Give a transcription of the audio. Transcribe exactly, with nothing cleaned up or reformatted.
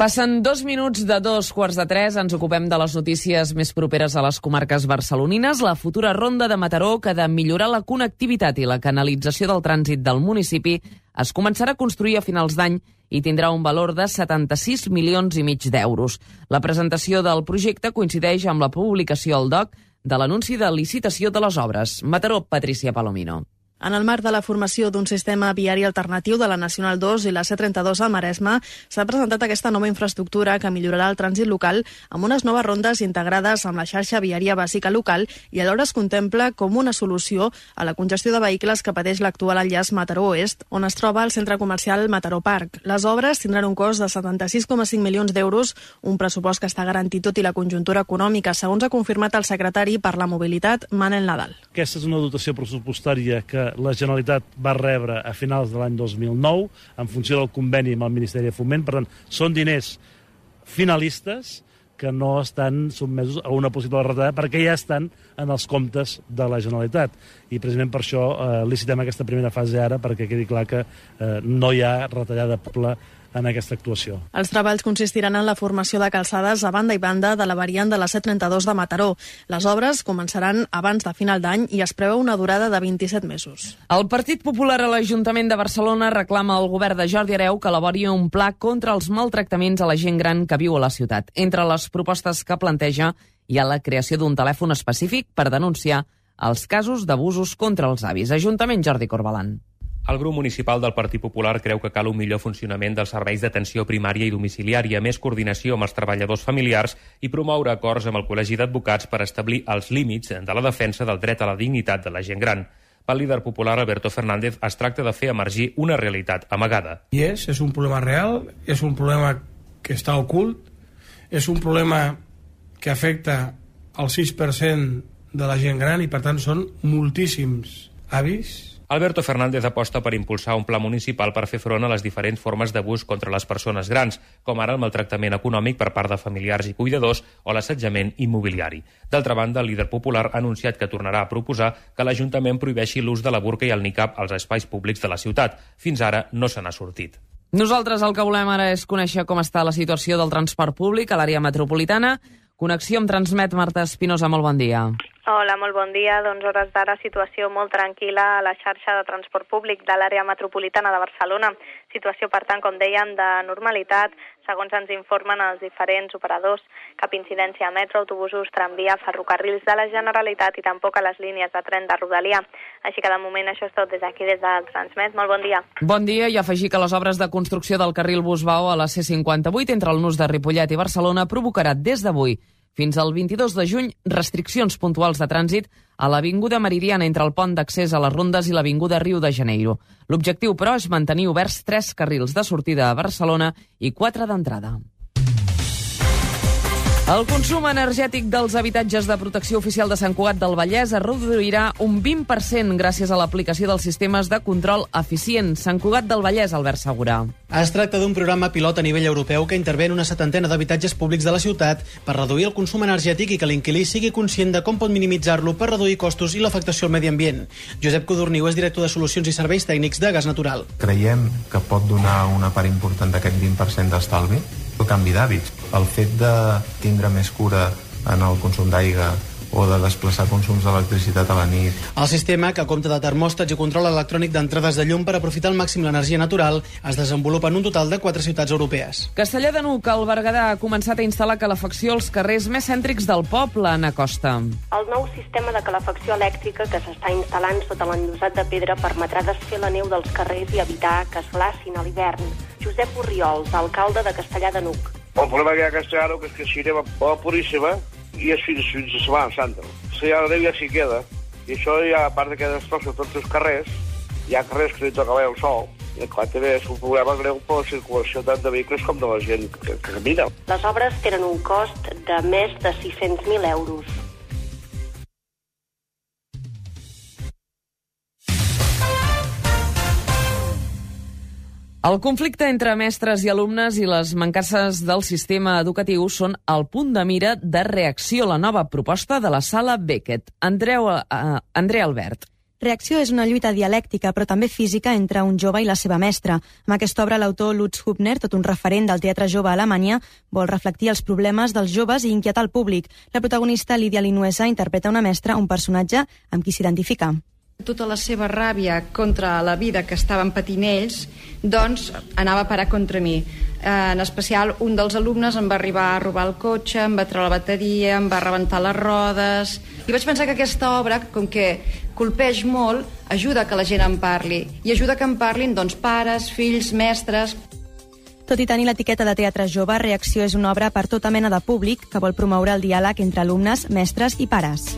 Passen dos minuts de dos quarts de tres, ens ocupem de les notícies més properes a les comarques barcelonines. La futura ronda de Mataró, que ha de millorar la connectivitat i la canalització del trànsit del municipi, es començarà a construir a finals d'any i tindrà un valor de setanta-sis milions i mig d'euros. La presentació del projecte coincideix amb la publicació al D O C de l'anunci de licitació de les obres. Mataró, Patricia Palomino. En el marc de la formació d'un sistema viari alternatiu de la Nacional dos i la C trenta-dos al Maresme, s'ha presentat aquesta nova infraestructura que millorarà el trànsit local amb unes noves rondes integrades amb la xarxa viària bàsica local i alhora es contempla com una solució a la congestió de vehicles que pateix l'actual enllaç Mataró Oest, on es troba el centre comercial Mataró Park. Les obres tindran un cost de setanta-sis coma cinc milions d'euros, un pressupost que està garantit tot i la conjuntura econòmica, segons ha confirmat el secretari per la mobilitat, Manel Nadal. Aquesta és una dotació pressupostària que la Generalitat va rebre a finals de l'any dos mil nou en funció del conveni amb el Ministeri de Foment. Per tant, són diners finalistes que no estan sotmesos a una possible retallada perquè ja estan en els comptes de la Generalitat. I precisament per això eh, licitem aquesta primera fase ara perquè quedi clar que eh, no hi ha retallada poble en aquesta actuació. Els treballs consistiran en la formació de calçades a banda i banda de la variant de la C trenta-dos de Mataró. Les obres començaran abans de final d'any i es preveu una durada de vint-i-set mesos. El Partit Popular a l'Ajuntament de Barcelona reclama al govern de Jordi Hereu que elabori un pla contra els maltractaments a la gent gran que viu a la ciutat. Entre les propostes que planteja hi ha la creació d'un telèfon específic per denunciar els casos d'abusos contra els avis. Ajuntament, Jordi Corbalan. El grup municipal del Partit Popular creu que cal un millor funcionament dels serveis d'atenció primària i domiciliària, més coordinació amb els treballadors familiars i promoure acords amb el Col·legi d'Advocats per establir els límits de la defensa del dret a la dignitat de la gent gran. Pel líder popular Alberto Fernández es tracta de fer emergir una realitat amagada. I és, és un problema real, és un problema que està ocult, és un problema que afecta el sis per cent de la gent gran i per tant són moltíssims avis. Alberto Fernández aposta per impulsar un pla municipal per fer front a les diferents formes d'abús contra les persones grans, com ara el maltractament econòmic per part de familiars i cuidadors o l'assetjament immobiliari. D'altra banda, el líder popular ha anunciat que tornarà a proposar que l'Ajuntament prohibeixi l'ús de la burca i el nicab als espais públics de la ciutat. Fins ara no se n'ha sortit. Nosaltres el que volem ara és conèixer com està la situació del transport públic a l'àrea metropolitana. Connexió amb Transmet, Marta Espinosa, molt bon dia. Hola, molt bon dia. Doncs hores d'ara situació molt tranquil·la a la xarxa de transport públic de l'àrea metropolitana de Barcelona. Situació, per tant, com dèiem, de normalitat, segons ens informen els diferents operadors. Cap incidència a metro, autobusos, tramvia, ferrocarrils de la Generalitat i tampoc a les línies de tren de Rodalia. Així que de moment això és tot des d'aquí, des del Transmet. Molt bon dia. Bon dia, i afegir que les obres de construcció del carril Busbao a la C cinquanta-vuit entre el nus de Ripollet i Barcelona provocarà des d'avui fins al vint-i-dos de juny restriccions puntuals de trànsit a l'Avinguda Meridiana entre el pont d'accés a les Rondes i l'Avinguda Rio de Janeiro. L'objectiu, però, és mantenir oberts tres carrils de sortida a Barcelona i quatre d'entrada. El consum energètic dels habitatges de protecció oficial de Sant Cugat del Vallès es reduirà un vint per cent gràcies a l'aplicació dels sistemes de control eficient. Sant Cugat del Vallès, Albert Segurà. Es tracta d'un programa pilot a nivell europeu que intervé en una setantena d'habitatges públics de la ciutat per reduir el consum energètic i que l'inquilí sigui conscient de com pot minimitzar-lo per reduir costos i l'afectació al medi ambient. Josep Codorniu és director de Solucions i Serveis Tècnics de Gas Natural. Creiem que pot donar una part important d'aquest vint per cent d'estalvi. El canvi d'hàbits, el fet de tindre més cura en el consum d'aigua o de desplaçar consums d'electricitat a la nit. El sistema, que compta de termòstats i control electrònic d'entrades de llum per aprofitar al màxim l'energia natural, es desenvolupa en un total de quatre ciutats europees. Castellar de N'Hug, al Berguedà, ha començat a instal·lar calefacció als carrers més cèntrics del poble, Anna Costa. El nou sistema de calefacció elèctrica que s'està instal·lant sota l'enllosat de pedra permetrà desfer la neu dels carrers i evitar que es glacin a l'hivern. Josep Orriols, alcalde de Castellar de N'Hug. El problema que hi ha a Castellar és que si anem a Puríssima i és fins, fins a Setmana Santa. Si ja la neu ja s'hi queda. I això ja, a part que destrossa tots els carrers, hi ha carrers que li toca veure el sol. I clar, també és un problema greu per la circulació tant de vehicles com de la gent que, que camina. Les obres tenen un cost de més de sis-cents mil euros. El conflicte entre mestres i alumnes i les mancances del sistema educatiu són el punt de mira de reacció a la nova proposta de la Sala Beckett. Andreu, uh, Andrea Albert. Reacció és una lluita dialèctica, però també física, entre un jove i la seva mestra. Amb aquesta obra, l'autor Lutz Hübner, tot un referent del teatre jove a Alemanya, vol reflectir els problemes dels joves i inquietar el públic. La protagonista, Lídia Linuesa, interpreta una mestra, un personatge amb qui s'identifica. Tota la seva ràbia contra la vida que estaven patint ells, doncs anava a parar contra mi. En especial, un dels alumnes em va arribar a robar el cotxe, em va treure la bateria, em va rebentar les rodes. I vaig pensar que aquesta obra, com que colpeix molt, ajuda que la gent en parli. I ajuda que en parlin, doncs, pares, fills, mestres. Tot i tenir l'etiqueta de teatre jove, Reacció és una obra per tota mena de públic que vol promoure el diàleg entre alumnes, mestres i pares.